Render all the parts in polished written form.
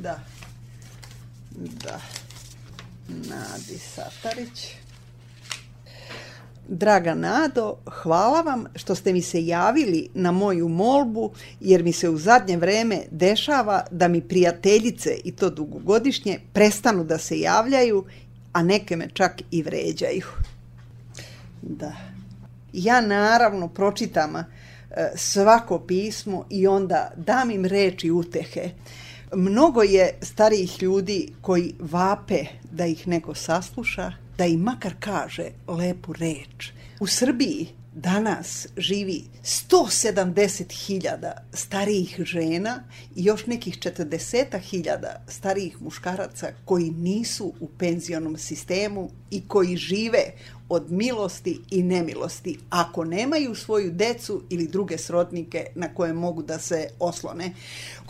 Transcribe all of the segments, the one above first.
Da. Nadi Satarić. Draga Nado, hvala vam što ste mi se javili na moju molbu, jer mi se u zadnje vreme dešava da mi prijateljice, i to dugogodišnje, prestanu da se javljaju, a neke me čak i vređaju. Da. Ja naravno pročitam svako pismo i onda dam im reči utehe. Mnogo je starijih ljudi koji vape da ih neko sasluša, da im makar kaže lepu reč. U Srbiji danas živi 170.000 starijih žena i još nekih 40.000 starijih muškaraca koji nisu u penzionom sistemu i koji žive od milosti i nemilosti ako nemaju svoju decu ili druge srodnike na koje mogu da se oslone.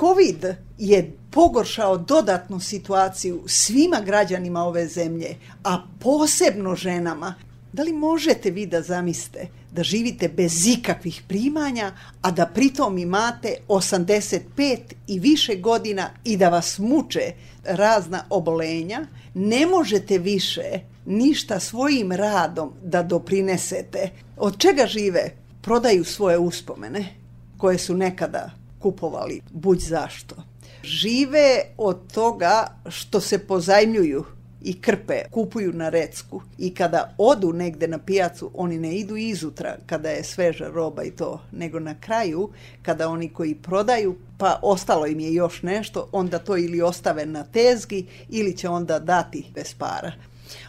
Covid je pogoršao dodatnu situaciju svima građanima ove zemlje, a posebno ženama. Da li možete vi da zamislite da živite bez ikakvih primanja, a da pritom imate 85 i više godina i da vas muče razna obolenja? Ne možete više ništa svojim radom da doprinesete. Od čega žive? Prodaju svoje uspomene koje su nekada kupovali buď zašto. Žive od toga što se pozajmljuju i krpe, kupuju na recku, i kada odu negde na pijacu, oni ne idu izutra kada je sveža roba i to, nego na kraju kada oni koji prodaju, pa ostalo im je još nešto, onda to ili ostave na tezgi ili će onda dati bez para.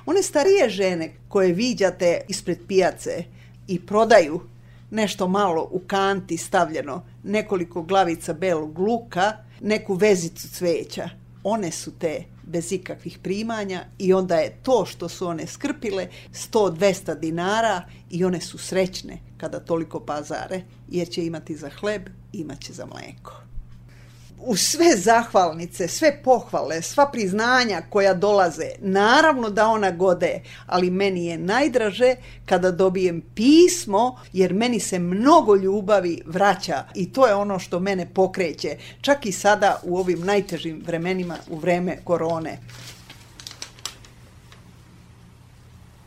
One starije žene koje viđate ispred pijace i prodaju nešto malo u kanti stavljeno, nekoliko glavica belog luka, neku vezicu cveća, one su te bez ikakvih primanja i onda je to što su one skrpile 100-200 dinara i one su srećne kada toliko pazare, jer će imati za hleb, imat će za mlijeko. Uz sve zahvalnice, sve pohvale, sva priznanja koja dolaze, naravno da ona gode, ali meni je najdraže kada dobijem pismo, jer meni se mnogo ljubavi vraća i to je ono što mene pokreće, čak i sada u ovim najtežim vremenima, u vreme korone.